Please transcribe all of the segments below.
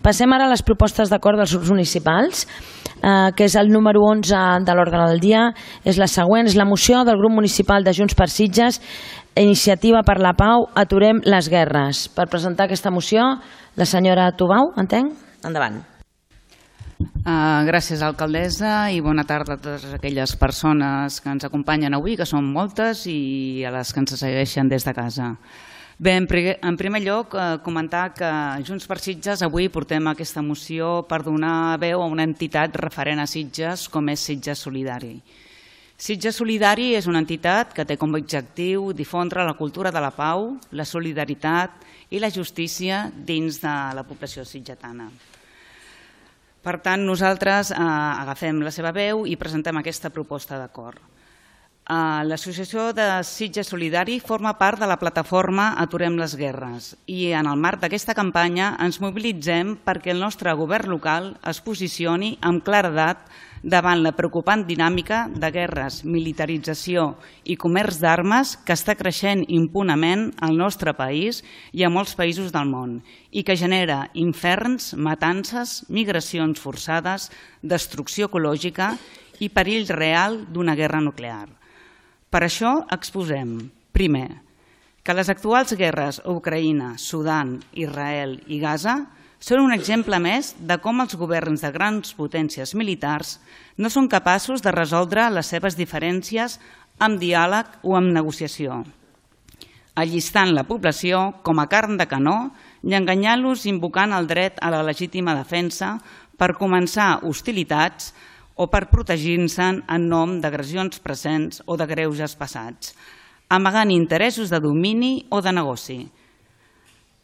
Passem ara a les propostes d'acord dels grups municipals, que és el número 11 de l'ordre del dia. És la següent, és la moció del grup municipal de Junts per Sitges, Iniciativa per la Pau, Aturem les Guerres. Per presentar aquesta moció, la senyora Tubau, entenc? Endavant. Gràcies, alcaldessa, i bona tarda a totes aquelles persones que ens acompanyen avui, que són moltes, i a les que ens segueixen des de casa. Bé, en primer lloc, comentar que Junts per Sitges avui portem aquesta moció per donar veu a una entitat referent a Sitges com és Sitges Solidari. Sitges Solidari és una entitat que té com a objectiu difondre la cultura de la pau, la solidaritat i la justícia dins de la població sitgetana. Per tant, nosaltres agafem la seva veu i presentem aquesta proposta d'acord. L'Associació de Sitges Solidari forma part de la plataforma Aturem les Guerres i en el marc d'aquesta campanya ens mobilitzem perquè el nostre govern local es posicioni amb claredat davant la preocupant dinàmica de guerres, militarització i comerç d'armes que està creixent impunement al nostre país i a molts països del món i que genera inferns, matances, migracions forçades, destrucció ecològica i perill real d'una guerra nuclear. Per això exposem, primer, que les actuals guerres a Ucraïna, Sudan, Israel i Gaza són un exemple més de com els governs de grans potències militars no són capaços de resoldre les seves diferències amb diàleg o amb negociació, allistant la població com a carn de canó i enganyant-los invocant el dret a la legítima defensa per començar hostilitats o per protegir-se'n en nom d'agressions presents o de greuges passats, amagant interessos de domini o de negoci.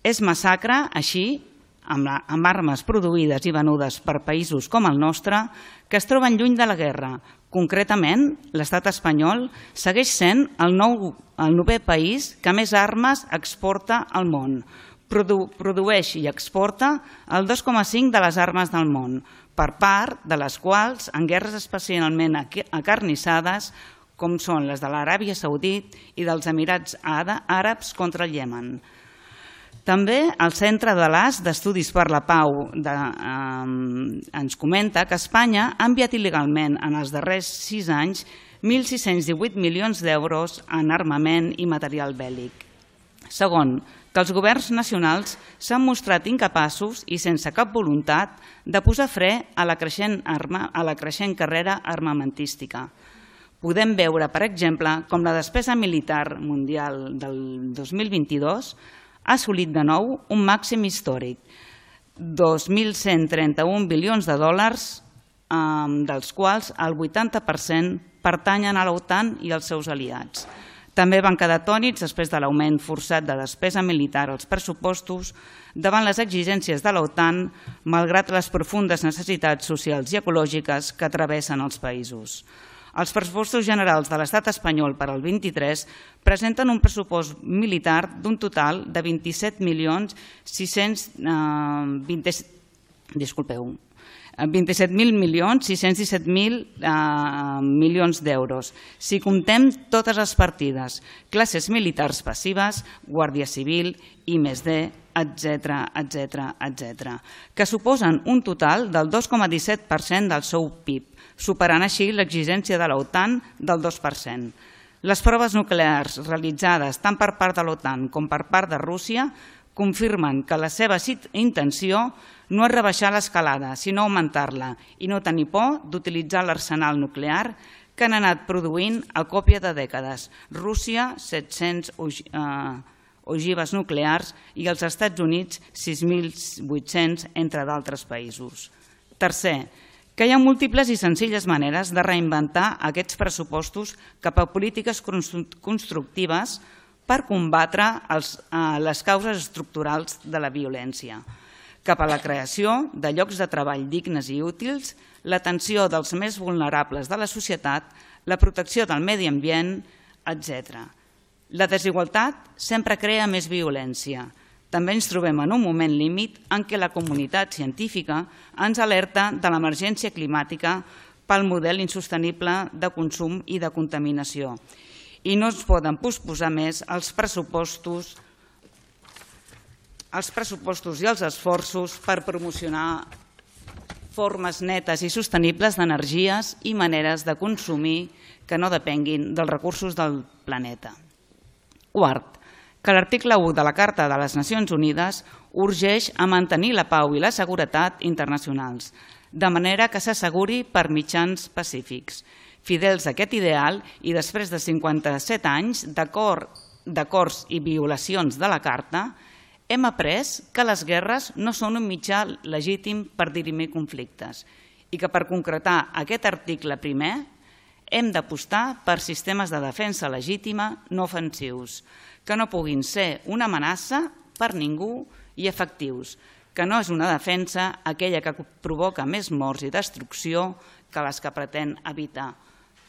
És massacre, així, amb armes produïdes i venudes per països com el nostre, que es troben lluny de la guerra. Concretament, l'estat espanyol segueix sent el 9è país que més armes exporta al món. Produeix i exporta el 2,5% de les armes del món, per part de les quals, en guerres especialment acarnissades, com són les de l'Aràbia Saudita i dels Emirats Àrabs contra el Iemen. També el Centre de l'AS d'Estudis per la Pau ens comenta que Espanya ha enviat il·legalment en els darrers 6 anys 1.618 milions d'euros en armament i material bèl·lic. Segon, que els governs nacionals s'han mostrat incapaços i sense cap voluntat de posar fre a la creixent carrera armamentística. Podem veure, per exemple, com la despesa militar mundial del 2022 ha assolit de nou un màxim històric, 2.131 bilions de dòlars, dels quals el 80% pertanyen a l'OTAN i als seus aliats. També van quedar atònits després de l'augment forçat de despesa militar als pressupostos davant les exigències de l'OTAN, malgrat les profundes necessitats socials i ecològiques que travessen els països. Els pressupostos generals de l'estat espanyol per al 23 presenten un pressupost militar d'un total de 27.617.000 milions d'euros. Si comptem totes les partides, classes militars passives, Guàrdia Civil, I+D, etc., que suposen un total del 2,17% del seu PIB, superant així l'exigència de l'OTAN del 2%. Les proves nuclears realitzades tant per part de l'OTAN com per part de Rússia confirmen que la seva intenció no és rebaixar l'escalada, sinó augmentar-la i no tenir por d'utilitzar l'arsenal nuclear que han anat produint a còpia de dècades. Rússia, 700 ogives nuclears i els Estats Units, 6.800, entre d'altres països. Tercer, que hi ha múltiples i senzilles maneres de reinventar aquests pressupostos cap a polítiques constructives per combatre les causes estructurals de la violència, cap a la creació de llocs de treball dignes i útils, l'atenció dels més vulnerables de la societat, la protecció del medi ambient, etc. La desigualtat sempre crea més violència. També ens trobem en un moment límit en què la comunitat científica ens alerta de l'emergència climàtica pel model insostenible de consum i de contaminació. I no es poden posposar més els pressupostos els pressupostos i els esforços per promocionar formes netes i sostenibles d'energies i maneres de consumir que no depenguin dels recursos del planeta. Quart, que l'article 1 de la Carta de les Nacions Unides urgeix a mantenir la pau i la seguretat internacionals, de manera que s'asseguri per mitjans pacífics. Fidels a aquest ideal i després de 57 anys d'acords i violacions de la Carta, hem après que les guerres no són un mitjà legítim per dirimir conflictes i que per concretar aquest article primer hem d'apostar per sistemes de defensa legítima no ofensius, que no puguin ser una amenaça per ningú i efectius, que no és una defensa aquella que provoca més morts i destrucció que les que pretén evitar,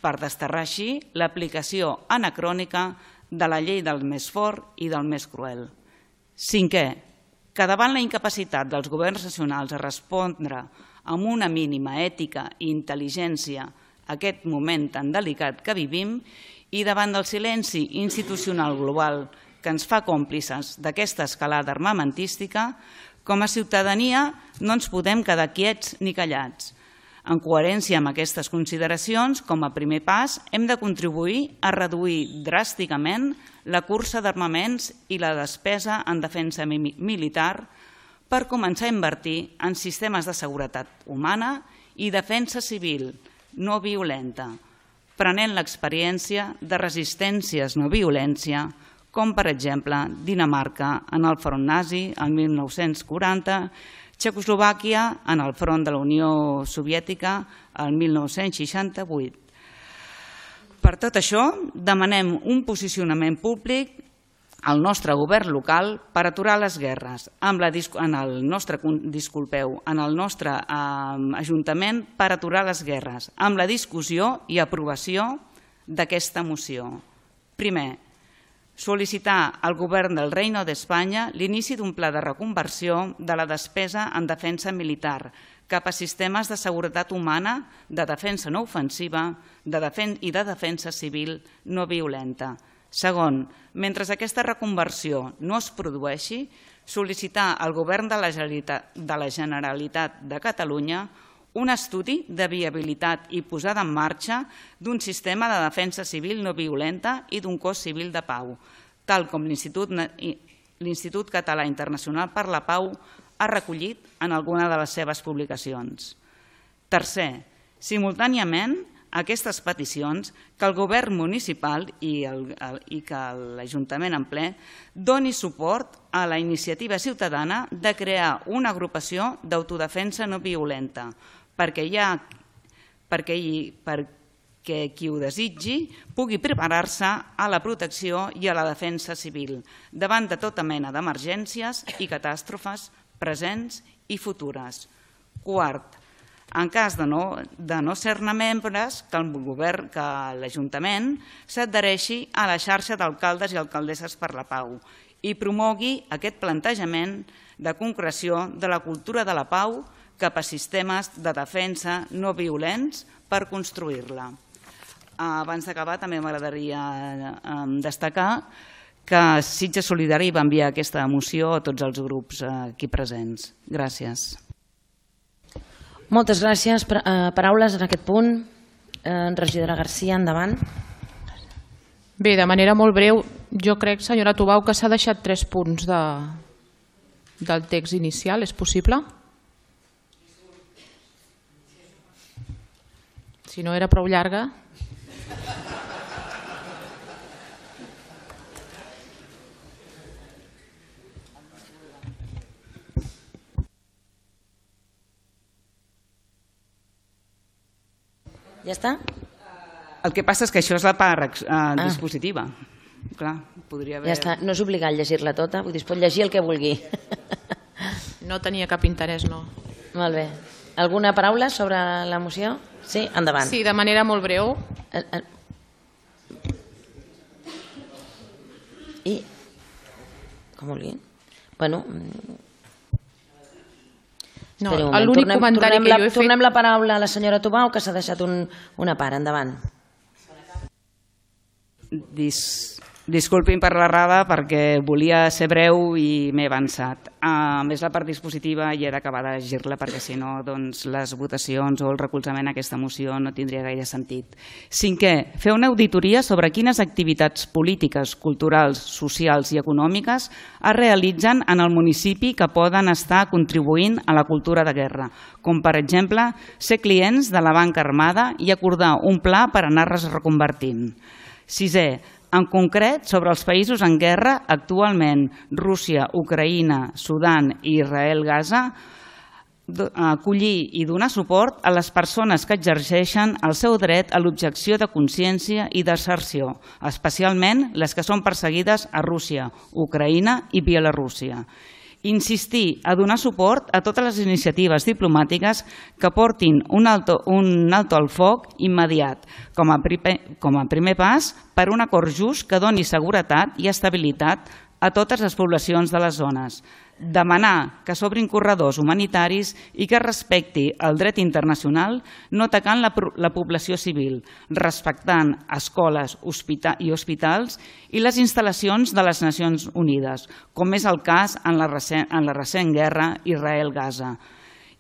per desterrar així l'aplicació anacrònica de la llei del més fort i del més cruel. Cinquè, que davant la incapacitat dels governs nacionals a respondre amb una mínima ètica i intel·ligència a aquest moment tan delicat que vivim i davant del silenci institucional global que ens fa còmplices d'aquesta escalada armamentística, com a ciutadania no ens podem quedar quiets ni callats. En coherència amb aquestes consideracions, com a primer pas, hem de contribuir a reduir dràsticament la cursa d'armaments i la despesa en defensa militar per començar a invertir en sistemes de seguretat humana i defensa civil no violenta, prenent l'experiència de resistències no violència, com per exemple Dinamarca en el front nazi el 1940, Txecoslovàquia en el front de la Unió Soviètica el 1968. Per tot això, demanem un posicionament públic al nostre govern local per aturar les guerres, en el nostre Ajuntament per aturar les guerres, amb la discussió i aprovació d'aquesta moció. Primer, sol·licitar al Govern del Reino d'Espanya l'inici d'un pla de reconversió de la despesa en defensa militar cap a sistemes de seguretat humana, de defensa no ofensiva i de defensa civil no violenta. Segon, mentre aquesta reconversió no es produeixi, sol·licitar al Govern de la Generalitat de Catalunya un estudi de viabilitat i posada en marxa d'un sistema de defensa civil no violenta i d'un cos civil de pau, tal com l'Institut Català Internacional per la Pau ha recollit en alguna de les seves publicacions. Tercer, simultàniament a aquestes peticions, que el govern municipal i que l'Ajuntament en ple doni suport a la iniciativa ciutadana de crear una agrupació d'autodefensa no violenta, perquè qui ho desitgi pugui preparar-se a la protecció i a la defensa civil davant de tota mena d'emergències i catàstrofes presents i futures. Quart, en cas de no ser-ne membres, que el govern, que l'Ajuntament s'adhereixi a la xarxa d'alcaldes i alcaldesses per la pau i promogui aquest plantejament de concreció de la cultura de la pau cap a sistemes de defensa no violents per construir-la. Abans d'acabar, també m'agradaria destacar que Sitges Solidari va enviar aquesta moció a tots els grups aquí presents. Gràcies. Moltes gràcies. Paraules en aquest punt. Regidora Garcia, endavant. Bé, de manera molt breu, jo crec, senyora Tubau, que s'ha deixat 3 punts del text inicial. És possible? Si no era prou llarga. Ja està? El que passa és que això és la part dispositiva. Clar, podria haver... Ja està, no és obligat llegir-la tota, vull dir, es pot llegir el que vulgui. No tenia cap interès, no. Molt bé. Alguna paraula sobre la moció? Sí, endavant. Sí, de manera molt breu. I? Com vulgui. Bueno... No, l'únic comentari que jo he fet... Tornem la paraula a la senyora Tubau, que s'ha deixat una part. Endavant. Disculpin per l'errada perquè volia ser breu i m'he avançat. A més, la part dispositiva i he d'acabar de llegir-la perquè si no les votacions o el recolzament a aquesta moció no tindria gaire sentit. Cinquè, fer una auditoria sobre quines activitats polítiques, culturals, socials i econòmiques es realitzen en el municipi que poden estar contribuint a la cultura de guerra, com per exemple ser clients de la banca armada i acordar un pla per anar-les reconvertint. Sisè, en concret, sobre els països en guerra, actualment Rússia, Ucraïna, Sudan i Israel-Gaza, acollir i donar suport a les persones que exerceixen el seu dret a l'objecció de consciència i deserció, especialment les que són perseguides a Rússia, Ucraïna i Bielorússia. Insistir a donar suport a totes les iniciatives diplomàtiques que portin un alto al foc immediat, com a primer pas per un acord just que doni seguretat i estabilitat a totes les poblacions de les zones. Demanar que s'obrin corredors humanitaris i que respecti el dret internacional no atacant la població civil, respectant escoles i hospitals i les instal·lacions de les Nacions Unides, com és el cas en la recent guerra Israel-Gaza.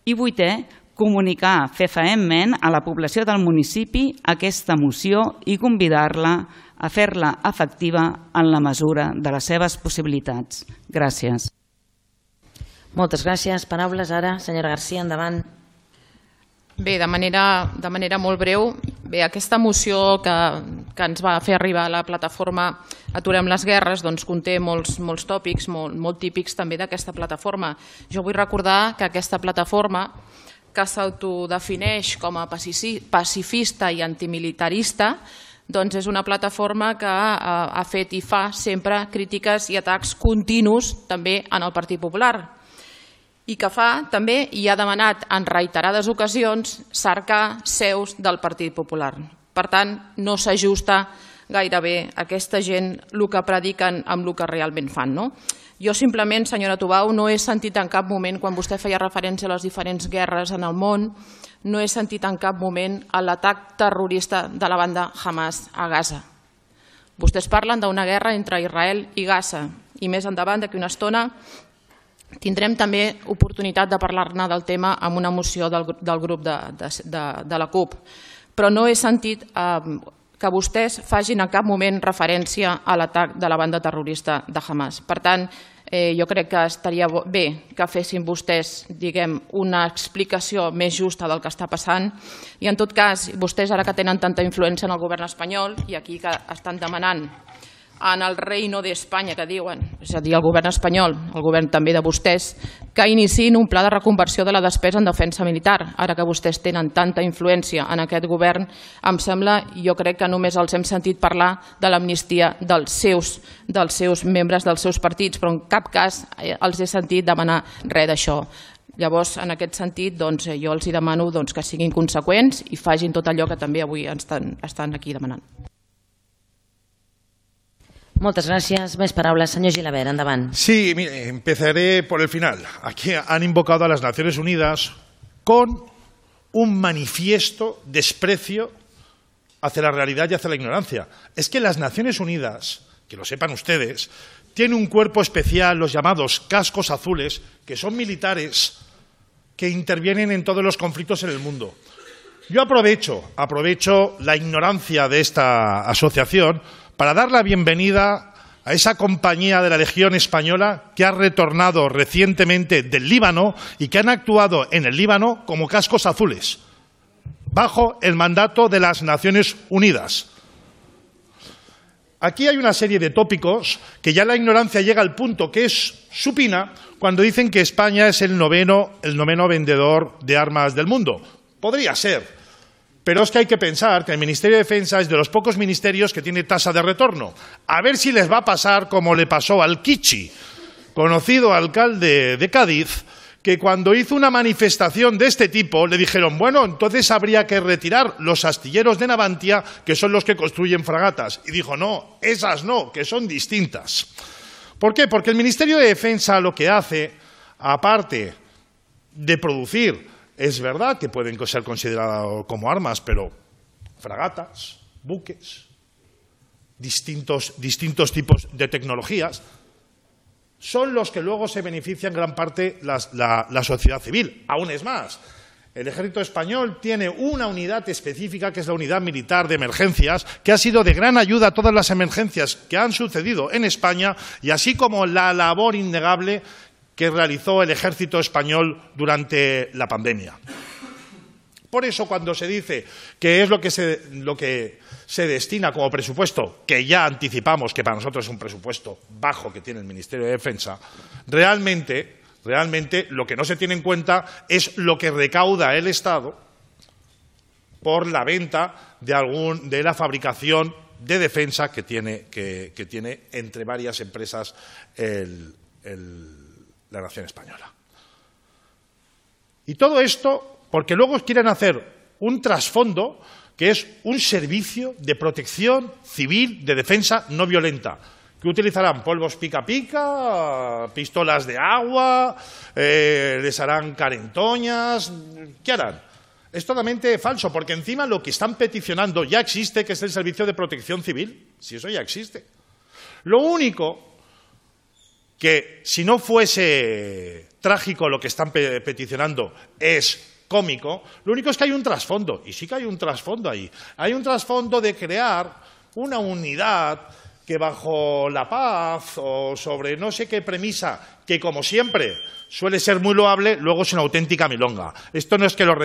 I vuitè, comunicar fefaentment a la població del municipi aquesta moció i convidar-la a fer-la efectiva en la mesura de les seves possibilitats. Gràcies. Moltes gràcies. Paraules ara, senyora García, endavant. Bé, de manera molt breu, bé, aquesta moció que ens va fer arribar la plataforma Aturem les Guerres doncs conté molts tòpics molt típics també d'aquesta plataforma. Jo vull recordar que aquesta plataforma, que s'autodefineix com a pacifista i antimilitarista, doncs és una plataforma que ha fet i fa sempre crítiques i atacs continus també en el Partit Popular i que fa també i ha demanat en reiterades ocasions cercar seus del Partit Popular. Per tant, no s'ajusta gairebé aquesta gent el que prediquen amb el que realment fan. Jo simplement, senyora Tubau, no he sentit en cap moment, quan vostè feia referència a les diferents guerres en el món, no he sentit en cap moment l'atac terrorista de la banda Hamas a Gaza. Vostès parlen d'una guerra entre Israel i Gaza i més endavant, d'aquí una estona, tindrem també oportunitat de parlar-ne del tema amb una moció del grup de la CUP. Però no he sentit que vostès facin en cap moment referència a l'atac de la banda terrorista de Hamas. Per tant, jo crec que estaria bé que fessin vostès, diguem, una explicació més justa del que està passant i en tot cas, vostès ara que tenen tanta influència en el govern espanyol i aquí que estan demanant en el reino d'Espanya que diuen, és a dir, el govern espanyol, el govern també de vostès, que iniciïn un pla de reconversió de la despesa en defensa militar. Ara que vostès tenen tanta influència en aquest govern, em sembla, jo crec que només els hem sentit parlar de l'amnistia dels seus membres dels seus partits, però en cap cas els he sentit demanar res d'això. Llavors, en aquest sentit, jo els demano que siguin conseqüents i facin tot allò que també avui estan aquí demanant. Muchas gracias. Más palabras, señor Gilabert, endavant. Sí, mire, empezaré por el final. Aquí han invocado a las Naciones Unidas con un manifiesto desprecio hacia la realidad y hacia la ignorancia. Es que las Naciones Unidas, que lo sepan ustedes, tienen un cuerpo especial, los llamados cascos azules, que son militares que intervienen en todos los conflictos en el mundo. Yo aprovecho la ignorancia de esta asociación para dar la bienvenida a esa compañía de la Legión Española que ha retornado recientemente del Líbano y que han actuado en el Líbano como cascos azules, bajo el mandato de las Naciones Unidas. Aquí hay una serie de tópicos que ya la ignorancia llega al punto que es supina cuando dicen que España es el noveno vendedor de armas del mundo. Podría ser. Pero es que hay que pensar que el Ministerio de Defensa es de los pocos ministerios que tiene tasa de retorno. A ver si les va a pasar como le pasó al Kichi, conocido alcalde de Cádiz, que cuando hizo una manifestación de este tipo le dijeron, bueno, entonces habría que retirar los astilleros de Navantia, que son los que construyen fragatas. Y dijo, no, esas no, que son distintas. ¿Por qué? Porque el Ministerio de Defensa lo que hace, aparte de producir, es verdad que pueden ser considerados como armas, pero fragatas, buques, distintos tipos de tecnologías, son los que luego se benefician gran parte la sociedad civil. Aún es más, el Ejército Español tiene una unidad específica, que es la Unidad Militar de Emergencias, que ha sido de gran ayuda a todas las emergencias que han sucedido en España, y así como la labor innegable que realizó el Ejército Español durante la pandemia. Por eso, cuando se dice que es lo que se destina como presupuesto, que ya anticipamos que para nosotros es un presupuesto bajo que tiene el Ministerio de Defensa, realmente lo que no se tiene en cuenta es lo que recauda el Estado por la venta de la fabricación de defensa que tiene entre varias empresas la nación española. Y todo esto porque luego quieren hacer un trasfondo que es un servicio de protección civil de defensa no violenta, que utilizarán polvos pica pica, pistolas de agua, les harán carentoñas. ¿Qué harán? Es totalmente falso, porque encima lo que están peticionando ya existe, que es el servicio de protección civil. Si eso ya existe. Lo único que, si no fuese trágico lo que están peticionando, es cómico, lo único es que hay un trasfondo, y sí que hay un trasfondo ahí. Hay un trasfondo de crear una unidad que bajo la paz o sobre no sé qué premisa, que como siempre suele ser muy loable, luego es una auténtica milonga. Esto no es que lo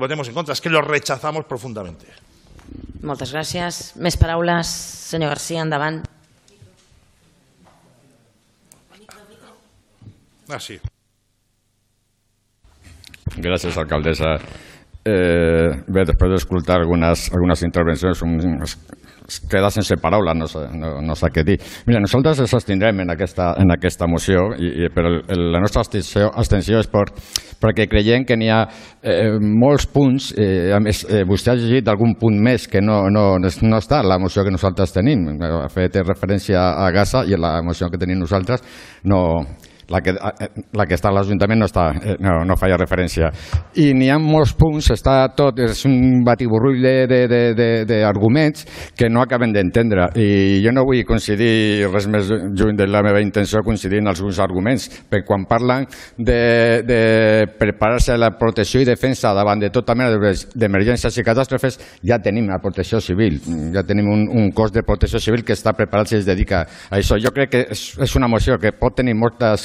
votemos en contra, es que lo rechazamos profundamente. Moltes gràcies. Més paraules, senyor García, endavant. Sí. Gràcies, alcaldessa. Bé, després d'escoltar algunes intervencions, es queda sense paraula, no sé què dir. Mira, nosaltres ens abstindrem en aquesta moció, però la nostra abstenció és perquè creiem que n'hi ha molts punts. A més, vostè ha llegit algun punt més que no està en la moció que nosaltres tenim. Ha fet referència a Gaza, i en la moció que tenim nosaltres no. La que està a l'Ajuntament no feia referència. I n'hi ha molts punts, és un batiburrull d'arguments que no acaben d'entendre. I jo no vull coincidir res més lluny de la meva intenció, coincidir en alguns arguments, perquè quan parlen de preparar-se a la protecció i defensa davant de tota mena d'emergències i catàstrofes, ja tenim la protecció civil, ja tenim un cos de protecció civil que està preparat i es dedica a això. Jo crec que és una moció que pot tenir molta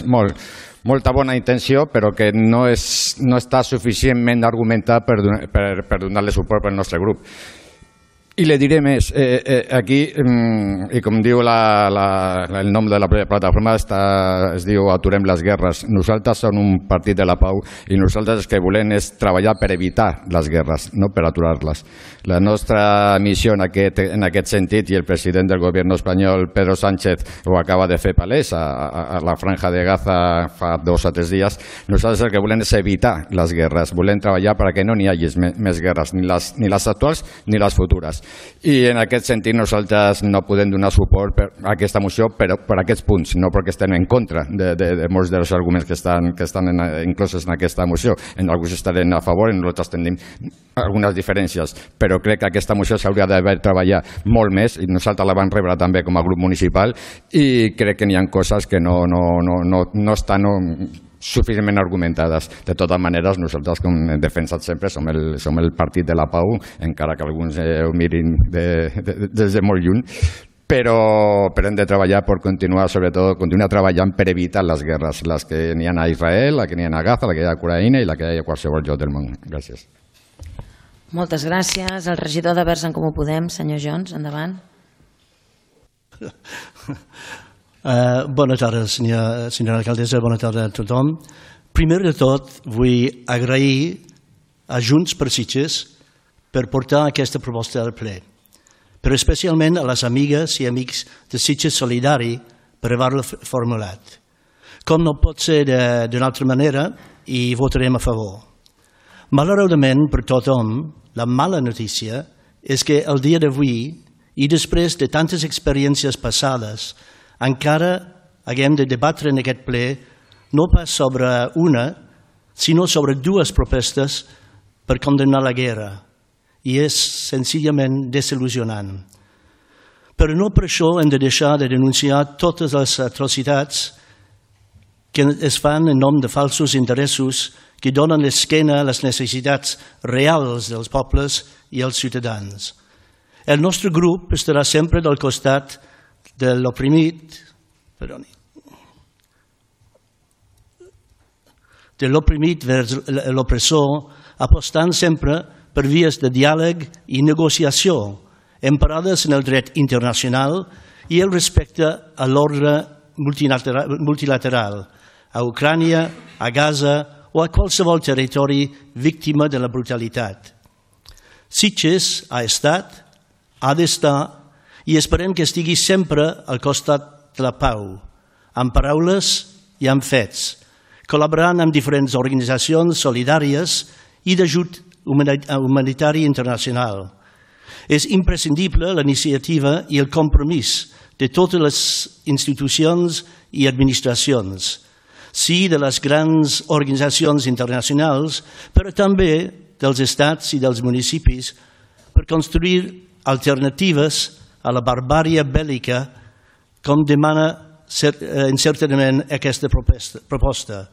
bona intenció, però que no està suficientment argumentada per donar-li suport pel nostre grup. I le diré més, aquí, i com diu el nom de la plataforma, es diu Aturem les guerres. Nosaltres som un partit de la pau i nosaltres el que volem és treballar per evitar les guerres, no per aturar-les. La nostra missió en aquest sentit, i el president del govern espanyol, Pedro Sánchez, ho acaba de fer palès a la Franja de Gaza fa 2 o 3 dies, nosaltres el que volem és evitar les guerres, volem treballar perquè no n'hi hagi més guerres, ni les actuals ni les futures. I en aquest sentit nosaltres no podem donar suport a aquesta moció per aquests punts, no perquè estem en contra de molts dels arguments que estan inclosos en aquesta moció. En alguns estarem a favor, en nosaltres tenim algunes diferències, però crec que aquesta moció s'hauria d'haver treballat molt més, i nosaltres la vam rebre també com a grup municipal, i crec que n'hi ha coses que no estan suficientment argumentades. De totes maneres, nosaltres, com hem defensat sempre, som el partit de la pau, encara que alguns ho mirin des de molt lluny, però hem de treballar per continuar treballant per evitar les guerres, les que n'hi ha a Israel, la que n'hi ha a Gaza, la que hi ha a Ucraïna i la que hi ha a qualsevol lloc del món. Gràcies. Moltes gràcies. El regidor de Verds en Comú Podem, senyor Jones, endavant. Bona tarda, senyora alcaldessa, bona tarda a tothom. Primer de tot, vull agrair a Junts per Sitges per portar aquesta proposta al ple, però especialment a les amigues i amics de Sitges Solidari per haver-la formulat. Com no pot ser d'una altra manera, hi votarem a favor. Malauradament per tothom, la mala notícia és que el dia d'avui, i després de tantes experiències passades, encara haguem de debatre en aquest ple no pas sobre una, sinó sobre 2 propostes per condemnar la guerra, i és senzillament desil·lusionant. Però no per això hem de deixar de denunciar totes les atrocitats que es fan en nom de falsos interessos que donen l'esquena a les necessitats reals dels pobles i els ciutadans. El nostre grup estarà sempre del costat de l'oprimit, vers l'opressor, apostant sempre per vies de diàleg i negociació, emparades en el dret internacional i el respecte a l'ordre multilateral, a Ucrània, a Gaza o a qualsevol territori víctima de la brutalitat. Sitges ha estat, ha d'estar i esperem que estigui sempre al costat de la pau, amb paraules i amb fets, col·laborant amb diferents organitzacions solidàries i d'ajut humanitari internacional. És imprescindible la iniciativa i el compromís de totes les institucions i administracions, sí de les grans organitzacions internacionals, però també dels estats i dels municipis, per construir alternatives a la barbària bèl·lica, com demana encertadament aquesta proposta.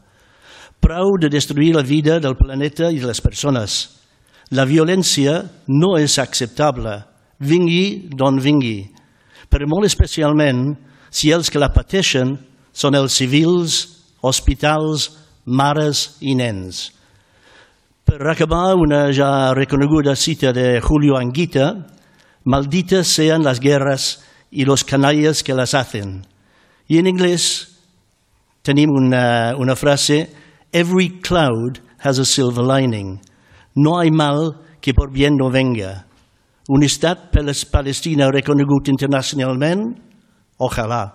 Prou de destruir la vida del planeta i de les persones. La violència no és acceptable, vingui d'on vingui, però molt especialment si els que la pateixen són els civils, hospitals, mares i nens. Per acabar, una ja reconeguda cita de Julio Anguita: malditas sean las guerras y los canallas que las hacen. I en anglès tenim una frase: every cloud has a silver lining. No hay mal que por bien no venga. Un estat palestino reconegut internacionalment? Ojalà.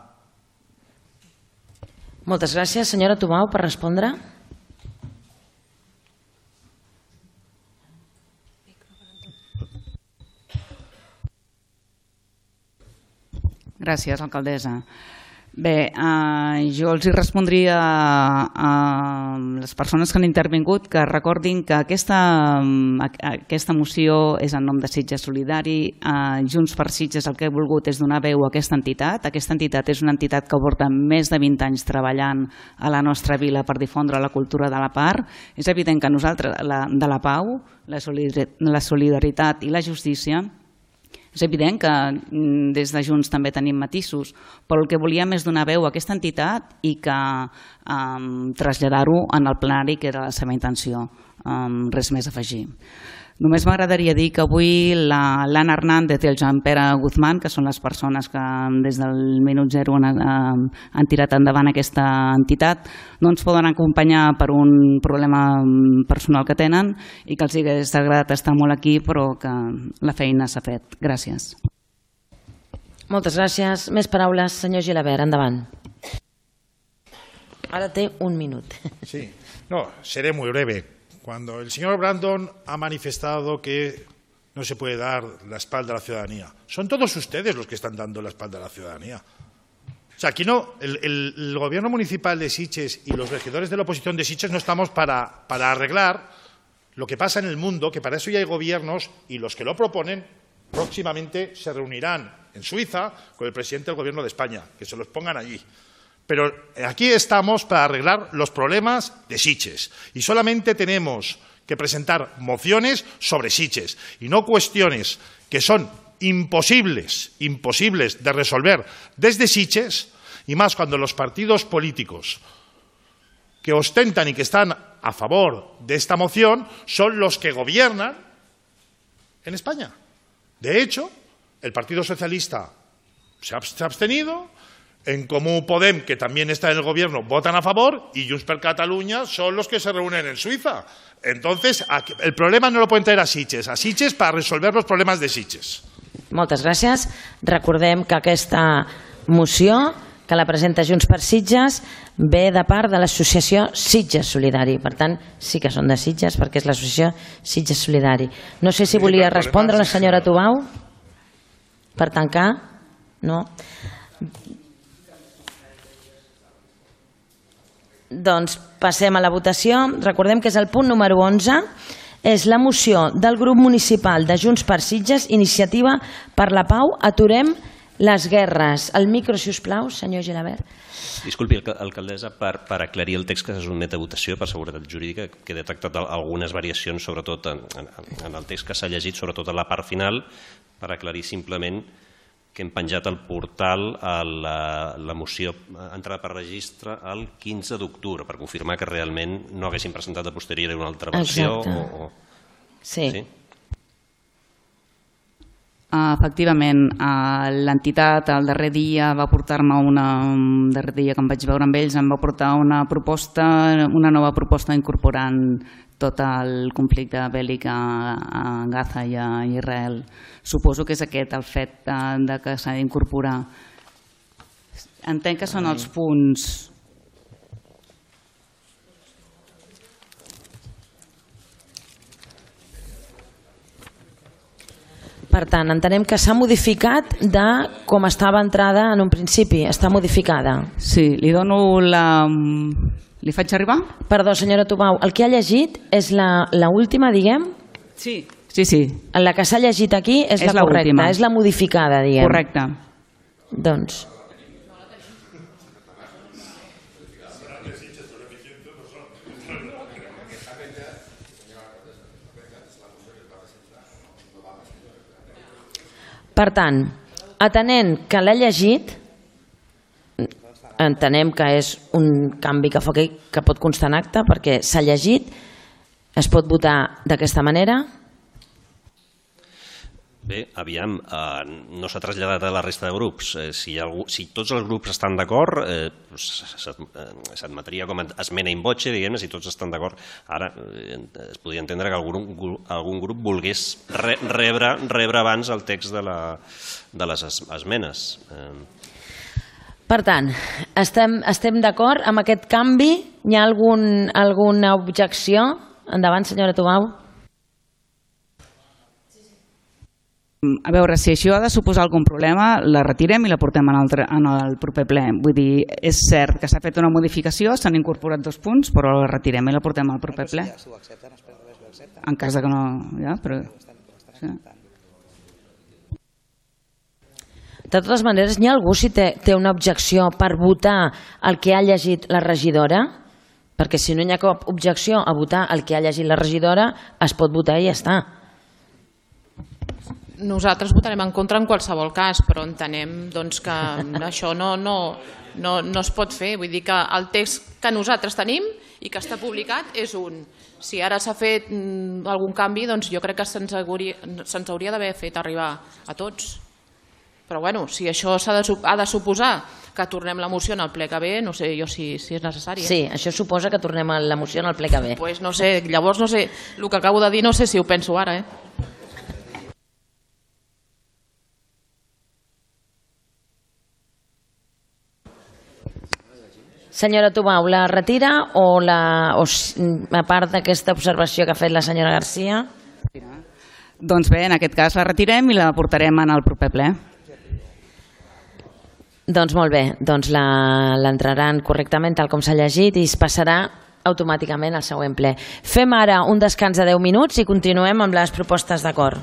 Moltes gràcies. Senyora Tubau, per respondre. Gràcies, alcaldessa. Bé, jo els hi respondria a les persones que han intervingut que recordin que aquesta moció és en nom de Sitges Solidari. Junts per Sitges el que ha volgut és donar veu a aquesta entitat. Aquesta entitat és una entitat que porta més de 20 anys treballant a la nostra vila per difondre la cultura de la part. És evident que nosaltres, de la pau, la solidaritat i la justícia, és evident que des de Junts també tenim matisos, però el que volíem és donar veu a aquesta entitat i que traslladar-ho en el plenari, que era la seva intenció. Res més a afegir. Només m'agradaria dir que avui l'Anna Hernández i el Joan Pere Guzmán, que són les persones que des del minut zero han tirat endavant aquesta entitat, no ens poden acompanyar per un problema personal que tenen i que els hagués agradat estar molt aquí, però que la feina s'ha fet. Gràcies. Moltes gràcies. Més paraules, senyor Gilabert, endavant. Ara té un minut. Sí, no, seré muy breve. Cuando el señor Brandon ha manifestado que no se puede dar la espalda a la ciudadanía, son todos ustedes los que están dando la espalda a la ciudadanía. O sea, aquí no, el gobierno municipal de Sitges y los regidores de la oposición de Sitges no estamos para arreglar lo que pasa en el mundo, que para eso ya hay gobiernos y los que lo proponen próximamente se reunirán en Suiza con el presidente del gobierno de España, que se los pongan allí. Pero aquí estamos para arreglar los problemas de Sitges y solamente tenemos que presentar mociones sobre Sitges y no cuestiones que son imposibles de resolver desde Sitges, y más cuando los partidos políticos que ostentan y que están a favor de esta moción son los que gobiernan en España. De hecho, el Partido Socialista se ha abstenido. En Comú Podem, que también está en el gobierno, votan a favor, y Junts per Catalunya son los que se reúnen en Suiza. Entonces, el problema no lo pueden traer a Sitges para resolver los problemas de Sitges. Moltes gràcies. Recordem que aquesta moció, que la presenta Junts per Sitges, ve de part de l'associació Sitges Solidari. Per tant, sí que són de Sitges, perquè és l'associació Sitges Solidari. No sé si volia respondre la senyora Tubau per tancar. No. Doncs passem a la votació. Recordem que és el punt número 11. És la moció del grup municipal de Junts per Sitges, Iniciativa per la Pau, aturem les guerres. El micro, si us plau, senyor Gilabert. Disculpi, alcaldessa, per aclarir el text que se sotmet a votació per seguretat jurídica, que he detectat algunes variacions, sobretot en el text que s'ha llegit, sobretot a la part final, per aclarir simplement que hem penjat al portal la moció entrada per registre el 15 d'octubre, per confirmar que realment no haguessin presentat a posteriori una altra versió. Sí. Efectivament, l'entitat el darrer dia va portar-me el darrer dia que em vaig veure amb ells em va portar una nova proposta incorporant tot el conflicte bèl·lic a Gaza i a Israel. Suposo que és aquest el fet de que s'ha d'incorporar. Entenc que són els punts... Per tant, entenem que s'ha modificat de com estava entrada en un principi. Està modificada. Sí, li dono la... Li faig arribar? Perdó, senyora Tubau, el que ha llegit és l'última, diguem? Sí. La que s'ha llegit aquí és la correcta, és la modificada, diguem. Correcte. Doncs... Per tant, atenent que l'ha llegit, entenem que és un canvi que pot constar en acte perquè s'ha llegit, es pot votar d'aquesta manera? Bé, aviam, no s'ha traslladat a la resta de grups. Si tots els grups estan d'acord, s'admetria com a esmena in voce, diguem-ne, si tots estan d'acord. Ara es podria entendre que algun grup volgués rebre abans el text de les esmenes. Per tant, estem d'acord amb aquest canvi? Hi ha alguna objecció? Endavant, senyora Tubau. A veure, si això ha de suposar algun problema, la retirem i la portem en el proper ple. Vull dir, és cert que s'ha fet una modificació, s'han incorporat 2 punts, però la retirem i la portem al proper ple. En cas que no... De totes maneres, hi ha algú si té una objecció per votar el que ha llegit la regidora? Perquè si no hi ha cap objecció a votar el que ha llegit la regidora, es pot votar i ja està. Nosaltres votarem en contra en qualsevol cas, però entenem que això no es pot fer. Vull dir que el text que nosaltres tenim i que està publicat és un. Si ara s'ha fet algun canvi, doncs jo crec que se'ns hauria d'haver fet arribar a tots. Però bueno, si això ha de suposar que tornem la moció en el ple que ve, no sé jo si és necessari. Sí, això suposa que tornem la moció en el ple que ve. Doncs no sé, llavors no sé, el que acabo de dir no sé si ho penso ara, Senyora Tubau, la retira o a part d'aquesta observació que ha fet la senyora Garcia? Doncs bé, en aquest cas la retirem i la portarem en el proper ple. Doncs molt bé, doncs l'entraran correctament tal com s'ha llegit i es passarà automàticament al següent ple. Fem ara un descans de 10 minuts i continuem amb les propostes d'acord.